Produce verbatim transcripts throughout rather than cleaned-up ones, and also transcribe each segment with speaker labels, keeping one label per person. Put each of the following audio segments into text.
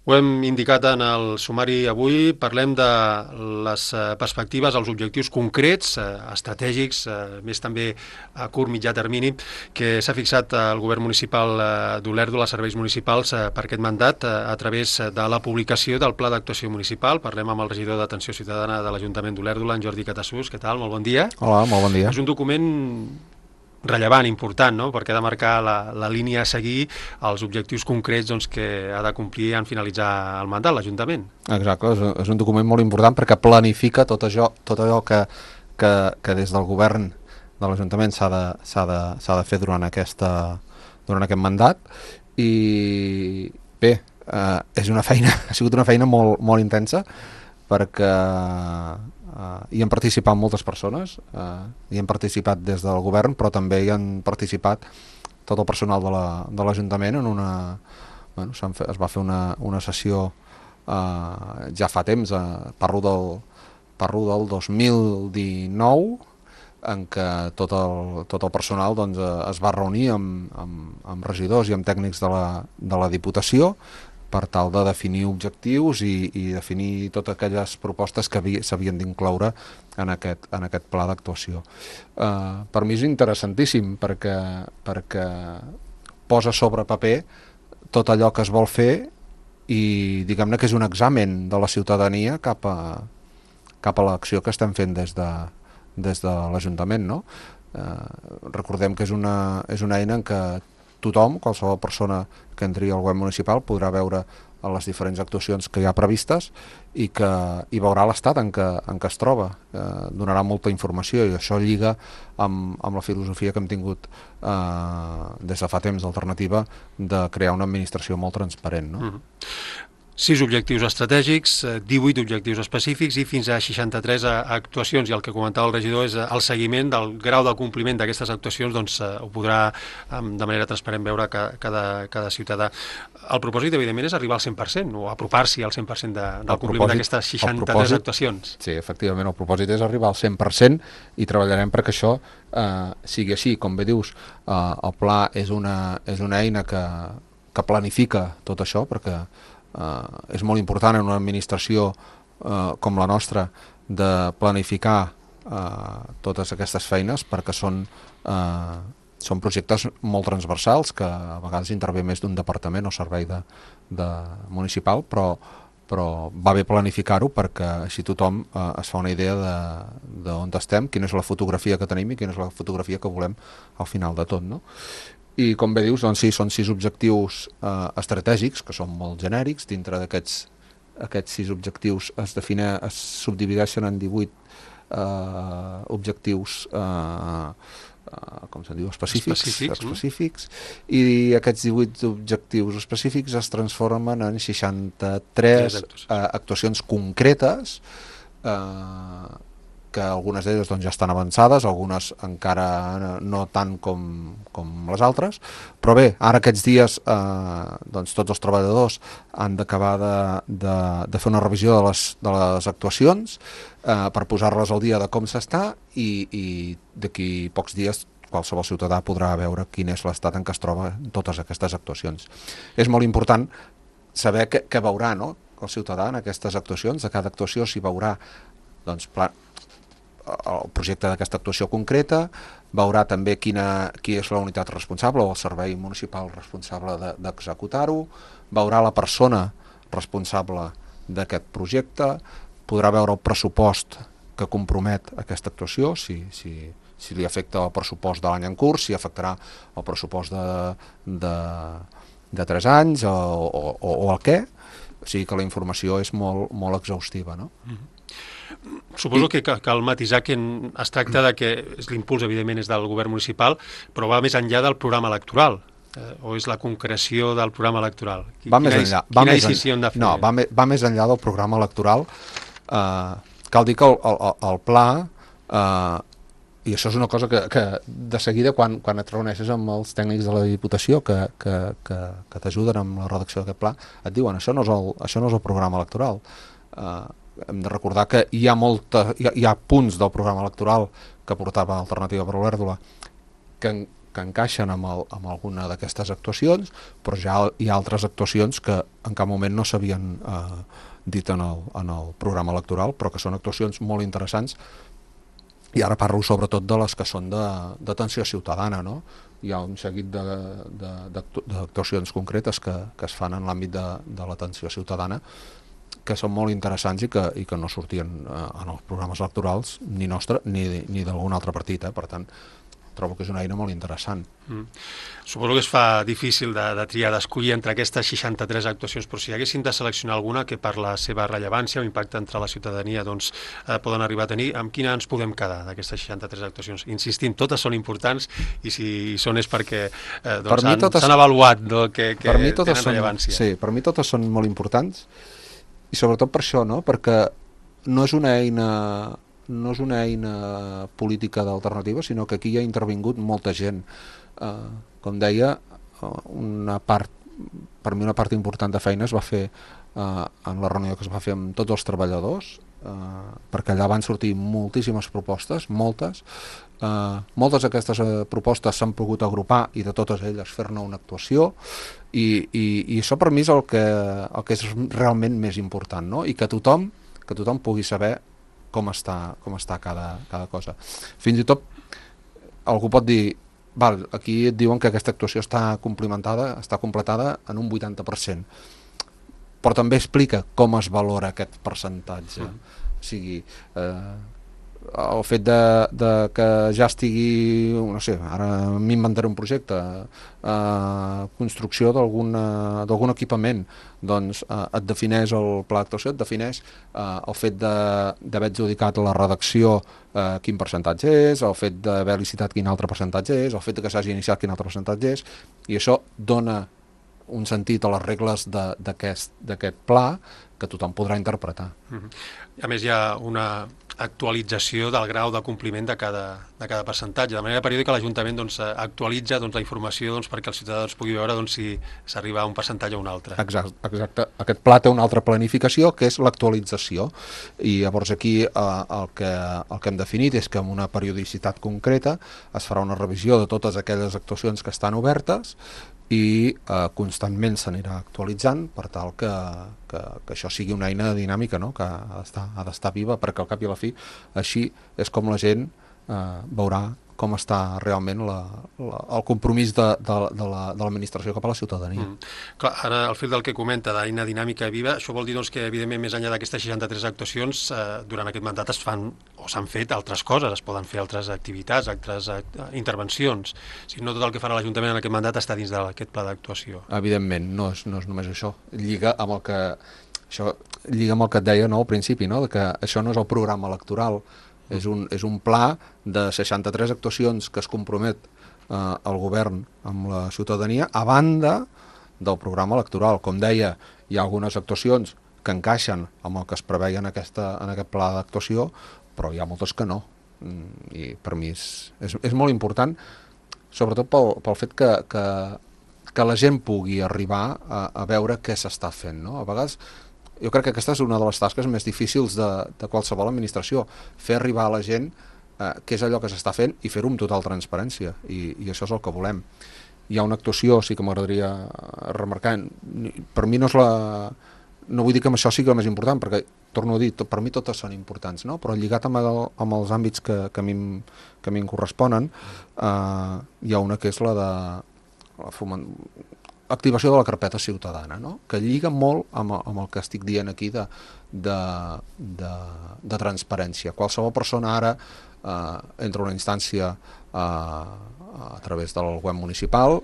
Speaker 1: Ho hem indicat en el sumari avui, parlem de les perspectives, els objectius concrets, estratègics, més també a curt mitjà termini, que s'ha fixat el govern municipal d'Olèrdola, els serveis municipals, per aquest mandat, a través de la publicació del Pla d'Actuació Municipal. Parlem amb el regidor d'Atenció Ciutadana de l'Ajuntament d'Olèrdola, en Jordi Catassús. Què tal? Molt bon dia.
Speaker 2: Hola, molt bon dia.
Speaker 1: És un document rellevant, important, no? Perquè ha de marcar la, la línia a seguir, els objectius concrets doncs, que ha de complir en finalitzar el mandat, l'Ajuntament.
Speaker 2: Exacte, és, és un document molt important perquè planifica tot això, tot allò que, que, que des del govern de l'Ajuntament s'ha de, s'ha de, s'ha de fer durant, aquesta, durant aquest mandat. I bé, eh, és una feina, ha sigut una feina molt, molt intensa, perquè uh, hi han participat moltes persones, uh, hi han participat des del govern, però també hi han participat tot el personal de l'Ajuntament en una... Bueno, fet, es va fer una, una sessió uh, ja fa temps, uh, parlo, del, parlo del dos mil dinou, en què tot el, tot el personal doncs, uh, es va reunir amb, amb, amb regidors i amb tècnics de la, de la Diputació per tal de definir objectius i, i definir totes aquelles propostes que s'havien d'incloure en aquest, en aquest pla d'actuació. Uh, per mi és interessantíssim perquè, perquè posa sobre paper tot allò que es vol fer i diguem-ne que és un examen de la ciutadania cap a, cap a l'acció que estem fent des de, des de l'Ajuntament, no? Uh, recordem que és una, és una eina en què tothom, qualsevol persona que entri al web municipal podrà veure les diferents actuacions que hi ha previstes i que hi veurà l'estat en, què, en què es troba. Eh, donarà molta informació i això lliga amb, amb la filosofia que hem tingut eh, des de fa temps d'Alternativa de crear una administració molt transparent, no?
Speaker 1: Mm-hmm. Sis objectius estratègics, divuit objectius específics i fins a seixanta-tres actuacions, i el que comentava el regidor és el seguiment del grau de compliment d'aquestes actuacions, doncs ho podrà de manera transparent veure cada, cada ciutadà. El propòsit, evidentment, és arribar al cent per cent o apropar-s'hi al cent per cent de, del compliment d'aquestes seixanta-tres actuacions.
Speaker 2: Sí, efectivament, el propòsit és arribar al cent per cent i treballarem perquè això eh, sigui així. Com bé dius, eh, el pla és una, és una eina que, que planifica tot això, perquè Uh, és molt important en una administració uh, com la nostra de planificar uh, totes aquestes feines perquè són, uh, són projectes molt transversals que a vegades intervé més d'un departament o servei de, de municipal, però, però va bé planificar-ho perquè així tothom uh, es fa una idea d'on estem, quina és la fotografia que tenim i quina és la fotografia que volem al final de tot, no? I com bé dius, doncs sí, són sis objectius eh, estratègics, que són molt genèrics. Dintre d'aquests aquests sis objectius es, define, es subdivideixen en divuit eh, objectius eh, eh, com se'n diu, específics,
Speaker 1: específics,
Speaker 2: específics i aquests divuit objectius específics es transformen en seixanta-tres eh, actuacions concretes, eh, que algunes d'elles doncs, ja estan avançades, algunes encara no tant com, com les altres, però bé, ara aquests dies eh, doncs, tots els treballadors han d'acabar de, de, de fer una revisió de les, de les actuacions eh, per posar-les al dia de com s'està i, i d'aquí pocs dies qualsevol ciutadà podrà veure quin és l'estat en què es troba totes aquestes actuacions. És molt important saber què, què veurà, no? El ciutadà en aquestes actuacions, de cada actuació s'hi veurà doncs, pla, el projecte d'aquesta actuació concreta, veurà també quina, qui és la unitat responsable o el servei municipal responsable de, d'executar-ho, veurà la persona responsable d'aquest projecte, podrà veure el pressupost que compromet aquesta actuació, si, si, si li afecta el pressupost de l'any en curs, si afectarà el pressupost de, de, de tres anys o, o, o el què, o sigui que la informació és molt, molt exhaustiva, no?
Speaker 1: Mm-hmm. Suposo que cal matisar que es tracta de que l'impuls, evidentment, és del govern municipal, però va més enllà del programa electoral, eh, o és la concreció del programa electoral?
Speaker 2: Va més enllà.
Speaker 1: Va quina decisió hem de fer?
Speaker 2: No, va, me, va més enllà del programa electoral. Eh, cal dir que el, el, el pla, eh, i això és una cosa que, que de seguida, quan, quan et reuneixes amb els tècnics de la Diputació que, que, que, que t'ajuden amb la redacció d'aquest pla, et diuen, això no és el, això no és el programa electoral. Eh, hem de recordar que hi ha, molta, hi ha, hi ha punts del programa electoral que portava Alternativa per Olèrdola que, que encaixen amb, el, amb alguna d'aquestes actuacions, però ja hi ha altres actuacions que en cap moment no s'havien eh, dit en el, en el programa electoral, però que són actuacions molt interessants. I ara parlo sobretot de les que són d'atenció ciutadana, no? Hi ha un seguit d'actuacions concretes que, que es fan en l'àmbit de, de l'atenció ciutadana que són molt interessants i que, i que no sortien eh, en els programes electorals ni nostre ni, ni d'algun altre partit, eh? Per tant, trobo que és una eina molt interessant.
Speaker 1: Mm. Suposo que es fa difícil de, de triar, d'escollir entre aquestes seixanta-tres actuacions, però si haguéssim de seleccionar alguna que per la seva rellevància o impacte entre la ciutadania doncs, eh, poden arribar a tenir, amb quina ens podem quedar d'aquestes seixanta-tres actuacions? Insistint, totes són importants i si són és perquè eh, doncs, s'han
Speaker 2: totes...
Speaker 1: avaluat no, que, que
Speaker 2: per mi totes
Speaker 1: tenen rellevància.
Speaker 2: Són, sí, per mi totes són molt importants i sobretot per això, no? Perquè no és una eina... no és una eina política d'alternativa, sinó que aquí hi ha intervingut molta gent. Eh, com deia, una part, per mi una part important de feina es va fer eh, en la reunió que es va fer amb tots els treballadors, eh, perquè allà van sortir moltíssimes propostes, moltes. Eh, moltes d'aquestes eh, propostes s'han pogut agrupar i de totes elles fer-ne una actuació i, i, i això per mi és el que, el que és realment més important, no? I que tothom, que tothom pugui saber com està, com està cada, cada cosa. Fins i tot algú pot dir, val, aquí et diuen que aquesta actuació està complementada, està completada en un vuitanta per cent, però també explica com es valora aquest percentatge. Mm. O sigui, eh, el fet de, de que ja estigui, no sé, ara m'inventaré un projecte, eh, construcció d'algun equipament, doncs eh, et defineix el pla d'actuació, et defineix eh, el fet d'haver adjudicat la redacció eh, quin percentatge és, el fet d'haver licitat quin altre percentatge és, el fet que s'hagi iniciat quin altre percentatge és, i això dona un sentit a les regles d'aquest pla que tothom podrà interpretar.
Speaker 1: Mm-hmm. A més, hi ha una actualització del grau de compliment de cada, de cada percentatge. De manera periòdica l'Ajuntament doncs, actualitza doncs, la informació doncs, perquè el ciutadà doncs, pugui veure doncs, si s'arriba a un percentatge o un altre.
Speaker 2: Exacte, exacte. Aquest pla té una altra planificació que és l'actualització i llavors aquí eh, el, que, el que hem definit és que amb una periodicitat concreta es farà una revisió de totes aquelles actuacions que estan obertes i eh, constantment s'anirà actualitzant per tal que, que, que això sigui una eina dinàmica, no? Que ha d'estar ha d'estar viva, perquè al cap i a la fi així és com la gent eh, veurà com està realment la, la, el compromís de, de, de l'administració cap a la ciutadania. Mm.
Speaker 1: Clar, ara, al fil del que comenta, d'eina dinàmica viva, això vol dir doncs, que, evidentment, més enllà d'aquestes seixanta-tres actuacions, eh, durant aquest mandat es fan o s'han fet altres coses, es poden fer altres activitats, altres eh, intervencions. O sigui, no tot el que farà l'Ajuntament en aquest mandat està dins d'aquest pla d'actuació.
Speaker 2: Evidentment, no és, no és només això. Lliga amb el que, això, lliga amb el que et deia no, al principi, no? Que això no és el programa electoral, és un, és un pla de seixanta-tres actuacions que es compromet eh, el govern amb la ciutadania a banda del programa electoral. Com deia, hi ha algunes actuacions que encaixen amb el que es preveia en, aquesta, en aquest pla d'actuació, però hi ha moltes que no. I per mi és, és, és molt important, sobretot pel, pel fet que, que, que la gent pugui arribar a, a veure què s'està fent, no? A vegades jo crec que aquesta és una de les tasques més difícils de, de qualsevol administració, fer arribar a la gent eh, què és allò que s'està fent i fer-ho amb total transparència, i, i això és el que volem. Hi ha una actuació, sí que m'agradaria remarcar, per mi no és la... no vull dir que això sigui el més important, perquè, torno a dir, per mi totes són importants, no? Però lligat amb, el, amb els àmbits que, que, a mi, que a mi em corresponen, eh, hi ha una que és la de la foment... activació de la carpeta ciutadana, no? Que lliga molt amb, amb el que estic dient aquí de, de, de, de transparència. Qualsevol persona ara eh, entra a una instància eh, a través del web municipal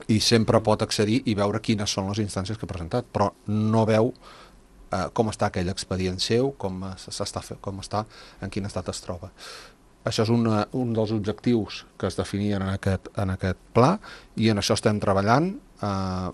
Speaker 2: i sempre pot accedir i veure quines són les instàncies que ha presentat, però no veu eh, com està aquell expedient seu, com s'està fent, com està, en quin estat es troba. Això és una, un dels objectius que es definien en aquest, en aquest pla i en això estem treballant. Eh,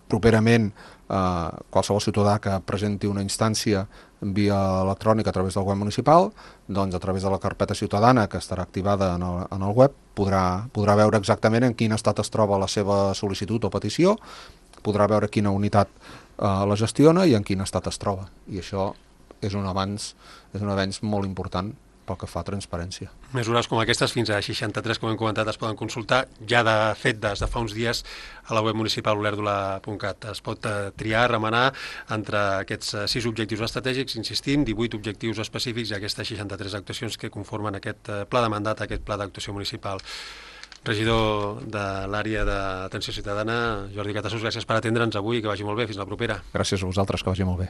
Speaker 2: properament, eh, qualsevol ciutadà que presenti una instància via electrònica a través del web municipal, doncs a través de la carpeta ciutadana que estarà activada en el, en el web, podrà, podrà veure exactament en quin estat es troba la seva sol·licitud o petició, podrà veure quina unitat eh, la gestiona i en quin estat es troba. I això és un avanç, és un avanç molt important pel que fa a transparència.
Speaker 1: Mesures com aquestes, fins a seixanta-tres, com hem comentat, es poden consultar. Ja de fet, des de fa uns dies, a la web municipal olèrdola punt cat es pot triar, remenar entre aquests sis objectius estratègics, insistim, divuit objectius específics i aquestes seixanta-tres actuacions que conformen aquest pla de mandat, aquest pla d'actuació municipal. Regidor de l'àrea d'atenció ciutadana, Jordi Catasús, gràcies per atendre'ns avui i que vagi molt bé. Fins la propera.
Speaker 2: Gràcies a vosaltres, que vagi molt bé.